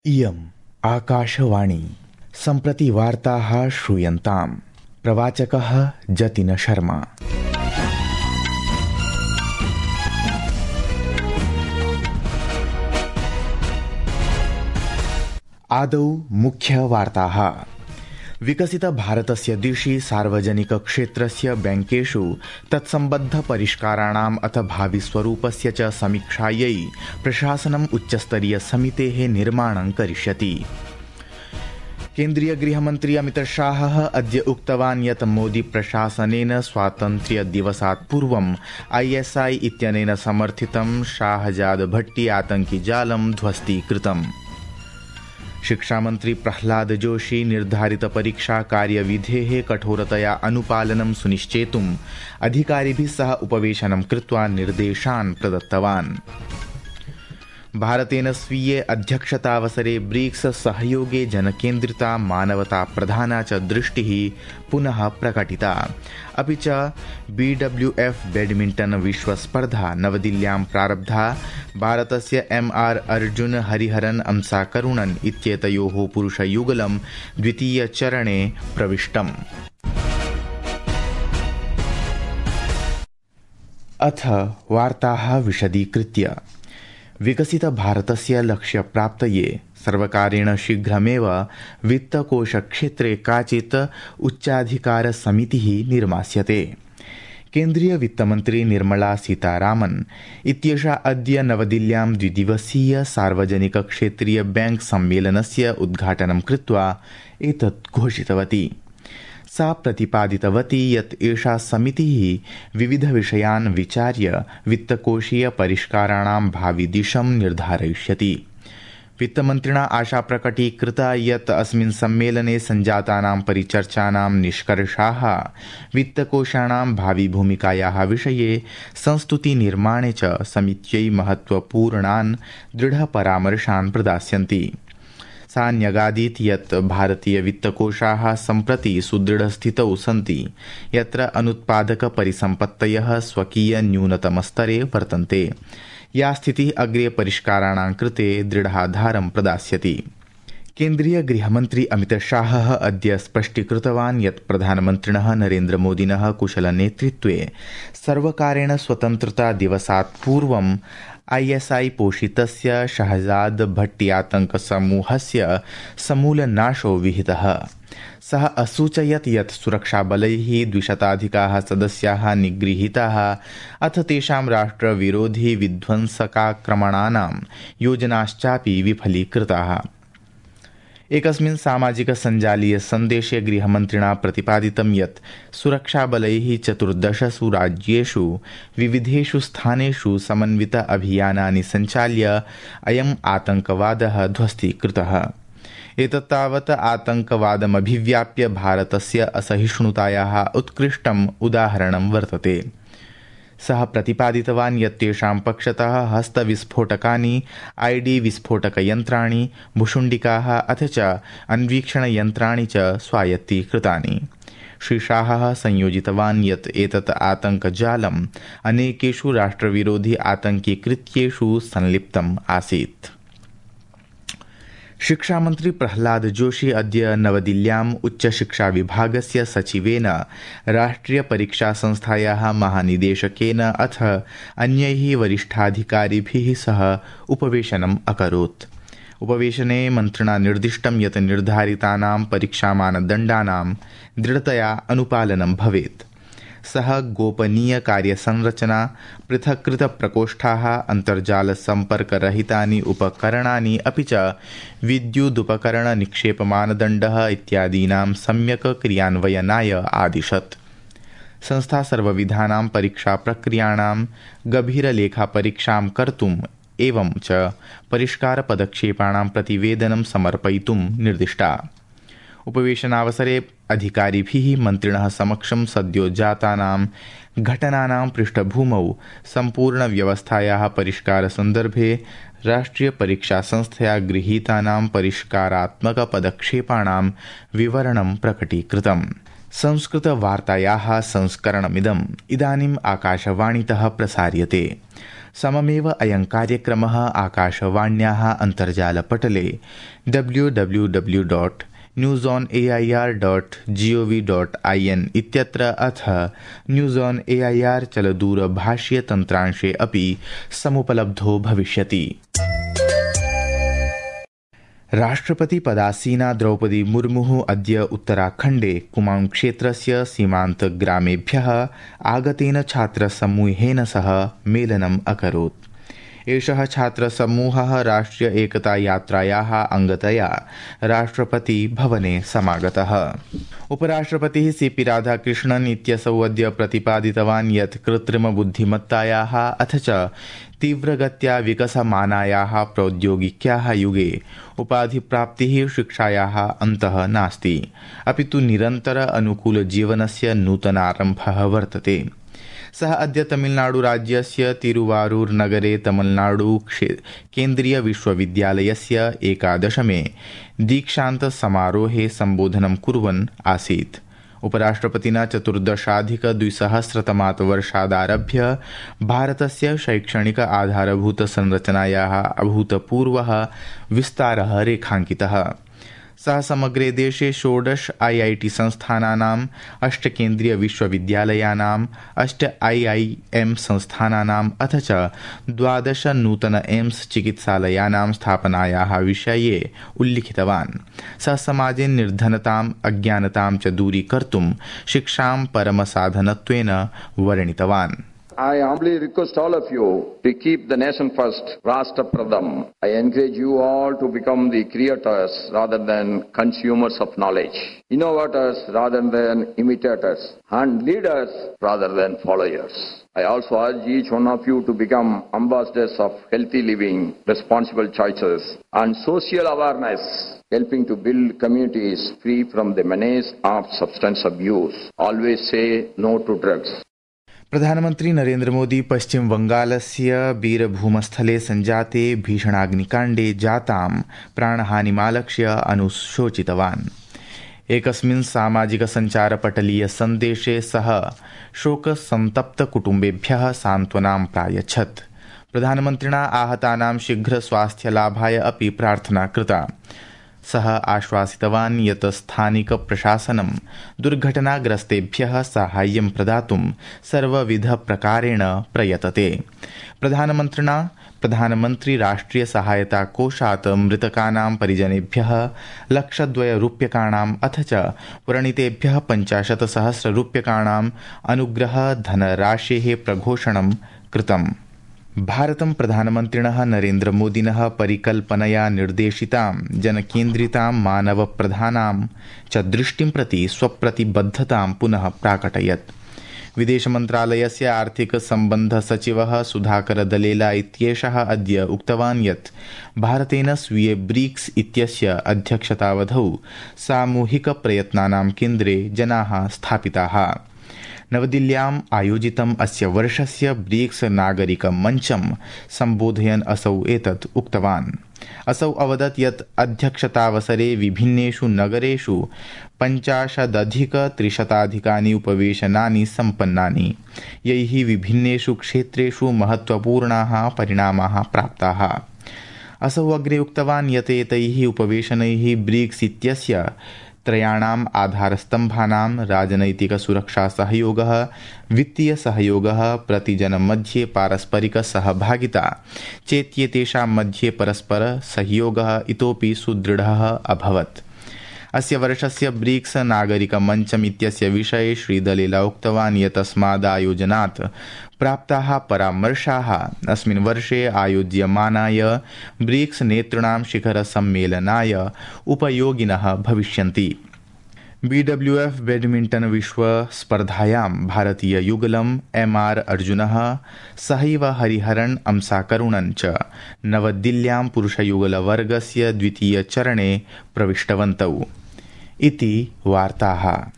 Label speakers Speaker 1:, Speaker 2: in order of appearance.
Speaker 1: इयम् आकाशवाणी सम्प्रति वार्ताः श्रूयन्ताम्। प्रवाचकः जतिन शर्मा। आदौ मुख्यवार्ताः। विकसित भारतस्य दिशि सार्वजनिकक्षेत्रस्य बैंकेषु तत्सम्बद्धपरिष्काराणाम् अथ भाविस्वरूपस्य च समीक्षायै प्रशासनम् उच्चस्तरीयसमितेः निर्माणं करिष्यति। केन्द्रीय गृहमन्त्री अमितशाहः अद्य उक्तवान् यत् मोदी प्रशासनेन स्वातन्त्र्यदिवसात् पूर्वम् ISI इत्यनेन समर्थितं शाहजाद भट्टी आतङ्किजालं ध्वस्तीकृतम्। शिक्षामन्त्री प्रह्लाद जोशी निर्धारित परीक्षा कार्यविधेः कठोरतया अनुपालनं सुनिश्चेतुम् अधिकारिभिः सह उपवेशनं कृत्वा निर्देशान् प्रदत्तवान्। भारतेन स्वीये अध्यक्षतावसरे ब्रिक्स सहयोगे जनकेन्द्रिता मानवता प्रधाना च दृष्टिः पुनः प्रकटिता। अपि च BWF बैडमिण्टन् विश्वस्पर्धा नवदिल्ल्यां प्रारब्धा। भारतस्य MR अर्जुन हरिहरन् अंसा करुणन् इत्येतयोः पुरुषयुगलं द्वितीयचरणे प्रविष्टम्। अथ वार्ताः विशदीकृत्य। विकसित भारतस्य लक्ष्यप्राप्तये सर्वकारेण शीघ्रमेव वित्तकोषक्षेत्रे काचित् उच्चाधिकारसमितिः निर्मास्यते। केन्द्रीय वित्तमन्त्री निर्मला सीतारामन् इत्येषा अद्य नवदिल्ल्यां द्विदिवसीय सार्वजनिकक्षेत्रीय बैंक सम्मेलनस्य उद्घाटनं कृत्वा एतत् घोषितवती। सा प्रतिपादितवती यत् एषा समितिः विविधविषयान् विचार्य वित्तकोषीय परिष्काराणां भाविदिशं निर्धारयिष्यति। वित्तमन्त्रिणा आशा प्रकटीकृता यत् अस्मिन् सम्मेलने सञ्जातानां परिचर्चानां निष्कर्षाः वित्तकोषाणां भाविभूमिकायाः विषये संस्तुतिनिर्माणे च समित्यै महत्त्वपूर्णान् दृढपरामर्शान् प्रदास्यन्ति। सा न्यगादीत् यत् भारतीयवित्तकोषाः सम्प्रति सुदृढस्थितौ सन्ति, यत्र अनुत्पादकपरिसम्पत्तयः स्वकीयन्यूनतमस्तरे वर्तन्ते। या स्थितिः अग्रे परिष्काराणां कृते दृढाधारं प्रदास्यति। केन्द्रीय गृहमन्त्री अमितशाहः अद्य स्पष्टीकृतवान् यत् प्रधानमन्त्रिणः नरेन्द्रमोदिनः कुशलनेतृत्वे सर्वकारेण स्वतन्त्रतादिवसात् पूर्वम् ISI पोषितस्य शहजाद भट्टी आतङ्कसमूहस्य समूलनाशो विहितः। सः असूचयत् यत् सुरक्षाबलैः 200 सदस्याः निगृहीताः अथ तेषां राष्ट्रविरोधी विध्वंसकाक्रमणानां योजनाश्चापि विफलीकृताः। एकस्मिन् सामाजिक सञ्जालीय सन्देशे गृहमन्त्रिणा प्रतिपादितं यत् सुरक्षाबलैः 14 राज्येषु विविधेषु स्थानेषु समन्वित अभियानानि सञ्चाल्य अयम् आतङ्कवादः ध्वस्तीकृतः। एतत्तावत् आतङ्कवादमभिव्याप्य भारतस्य असहिष्णुतायाः उत्कृष्टम् उदाहरणं वर्तते। सः प्रतिपादितवान् यत् तेषां पक्षतः हस्तविस्फोटकानि, ID विस्फोटकयन्त्राणि, भुशुण्डिकाः अथ च अन्वीक्षणयन्त्राणि च स्वायत्तीकृतानि। श्रीशाहः संयोजितवान् यत् एतत् आतङ्कजालम् अनेकेषु राष्ट्रविरोधी आतङ्किकृत्येषु संलिप्तम् आसीत्। शिक्षामन्त्री प्रह्लाद जोशी अद्य नवदिल्ल्याम् उच्चशिक्षाविभागस्य सचिवेन, राष्ट्रियपरीक्षासंस्थायाः महानिदेशकेन अथ अन्यैः वरिष्ठाधिकारिभिः सह उपवेशनम् अकरोत्। उपवेशने मन्त्रिणा निर्दिष्टं यत् निर्धारितानां परीक्षामानदण्डानां दृढतया अनुपालनं भवेत्। सः गोपनीयकार्यसंरचना, पृथक्कृतप्रकोष्ठाः, अन्तर्जालसम्पर्करहितानि उपकरणानि अपि च विद्युदुपकरणनिक्षेपमानदण्डः इत्यादीनां सम्यक् क्रियान्वयनाय आदिशत्। संस्था सर्वविधानां परीक्षाप्रक्रियाणां गभीरलेखापरीक्षां कर्तुम् एवं च परिष्कारपदक्षेपाणां प्रतिवेदनं समर्पयितुं निर्दिष्टा। उपवेशनावसरे अधिकारिभिः मन्त्रिणः समक्षं सद्यो जातानां घटनानां पृष्ठभूमौ सम्पूर्णव्यवस्थायाः परिष्कारसन्दर्भे राष्ट्रियपरीक्षासंस्थया गृहीतानां परिष्कारात्मकपदक्षेपाणां विवरणं प्रकटीकृतम्। संस्कृतवार्तायाः संस्करणमिदम् इदानीम् आकाशवाणीतः प्रसार्यते। सममेव अयं कार्यक्रमः आकाशवाण्याः अन्तर्जालपटले www.newsonair.gov.in इत्यत्र अथ न्यूज़ ऑन एआईआर चलदूरभाषीयतन्त्रांशे अपि समुपलब्धो भविष्यति। राष्ट्रपति पदासीना द्रौपदी मुर्मुः अद्य उत्तराखण्डे कुमाऊं क्षेत्रस्य सीमान्तग्रामेभ्यः आगतेन छात्रसमूहेन सह मेलनम् अकरोत्। एषः छात्रसमूहः राष्ट्रिय एकता यात्रायाः अङ्गतया राष्ट्रपति भवने समागतः। उपराष्ट्रपतिः सीपी राधाकृष्णन् इत्यसौ अद्य प्रतिपादितवान् यत् कृत्रिमबुद्धिमत्तायाः अथ च तीव्रगत्या विकसमानायाः प्रौद्योगिक्याः युगे उपाधिप्राप्तिः शिक्षायाः अन्तः नास्ति, अपि तु निरन्तर अनुकूलजीवनस्य नूतनारम्भः वर्तते। सः अद्य तमिलनाडुराज्यस्य तिरुवारूर् नगरे तमिलनाडु केन्द्रीय विश्वविद्यालयस्य 11मे दीक्षान्तसमारोहे सम्बोधनं कुर्वन् आसीत्। उपराष्ट्रपतिना 14,200 वर्षादारभ्य भारतस्य शैक्षणिक आधारभूतसंरचनायाः अभूतपूर्वः विस्तारः रेखाङ्कितः। सः समग्रे देशे 16 IIT संस्थानानाम् 8 केन्द्रीय विश्वविद्यालयानाम् 8 IIM संस्थानानाम् अथ च 12 नूतन एम्स चिकित्सालयानां स्थापनायाः विषये उल्लिखितवान्। सः समाजे निर्धनताम् अज्ञानतां च दूरीकर्तुं शिक्षां परमसाधनत्वेन वर्णितवान्।
Speaker 2: I humbly request all of you to keep the nation first, Rashtra Pradham. I encourage you all to become the creators rather than consumers of knowledge, innovators rather than imitators, and leaders rather than followers. I also urge each one of you to become ambassadors of healthy living, responsible choices, and social awareness, helping to build communities free from the menace of substance abuse. Always say no to drugs.
Speaker 1: प्रधानमन्त्री नरेन्द्र मोदी पश्चिम बंगालस्य बीरभूमस्थले सञ्जाते भीषणाग्निकाण्डे जातां प्राणहानिमालक्ष्य अनुशोचितवान्। एकस्मिन् सामाजिकसञ्चारपटलीय सन्देशे सः शोकसन्तप्तकुटुम्बेभ्यः सान्त्वनां प्रायच्छत्। प्रधानमन्त्रिणा आहतानां शीघ्रस्वास्थ्यलाभाय अपि प्रार्थना कृता। सः आश्वासितवान् यत् स्थानिकप्रशासनं दुर्घटनाग्रस्तेभ्यः साहाय्यं प्रदातुं सर्वविधप्रकारेण प्रयतते। प्रधानमन्त्रिणा प्रधानमन्त्री राष्ट्रिय सहायता कोषात् मृतकानां परिजनेभ्यः 1,02 रूप्यकाणाम् अथ च व्रणितेभ्यः 50,000 रूप्यकाणाम् अनुग्रह धनराशेः प्रघोषणं कृतम्। भारतं प्रधानमन्त्रिणः नरेन्द्रमोदिनः परिकल्पनया निर्देशितां जनकेन्द्रितां मानवप्रधानां च दृष्टिं प्रति स्वप्रतिबद्धतां पुनः प्राकटयत्। विदेशमन्त्रालयस्य आर्थिकसम्बन्धसचिवः सुधाकर दलेला इत्येषः अद्य उक्तवान् यत् भारतेन स्वीये ब्रिक्स इत्यस्य अध्यक्षतावधौ सामूहिकप्रयत्नानां केन्द्रे जनाः स्थापिताः। नवदिल्ल्याम् आयोजितम् अस्य वर्षस्य ब्रिक्स नागरिकमञ्चं सम्बोधयन् असौ एतत् उक्तवान्। असौ अवदत् यत् अध्यक्षतावसरे विभिन्नेषु नगरेषु 50,300 उपवेशनानि सम्पन्नानि, यैः विभिन्नेषु क्षेत्रेषु महत्त्वपूर्णाः परिणामाः प्राप्ताः। असौ अग्रे उक्तवान् यत् एतैः उपवेशनैः ब्रिक्स इत्यस्य त्रयाणाम् आधारस्तम्भानां राजनैतिकसुरक्षासहयोगः, वित्तीयसहयोगः, प्रतिजनमध्ये पारस्परिकसहभागिता चेत्येतेषां मध्ये परस्परसहयोगः इतोपि सुदृढः अभवत्। अस्य वर्षस्य ब्रिक्स नागरिकमञ्चम् इत्यस्य विषये श्रीदलेला उक्तवान् यत् अस्मादायोजनात् प्राप्ताः परामर्शाः अस्मिन् वर्षे आयोज्यमानाय ब्रिक्स नेतॄणां शिखरसम्मेलनाय उपयोगिनः भविष्यन्ति। BWF बैडमिण्टन् विश्वस्पर्धायां भारतीययुगलम् MR अर्जुनः सहैव हरिहरन् अंसाकरुणन् च नवदिल्ल्यां पुरुषयुगलवर्गस्य द्वितीयचरणे प्रविष्टवन्तौ। इति वार्ताः।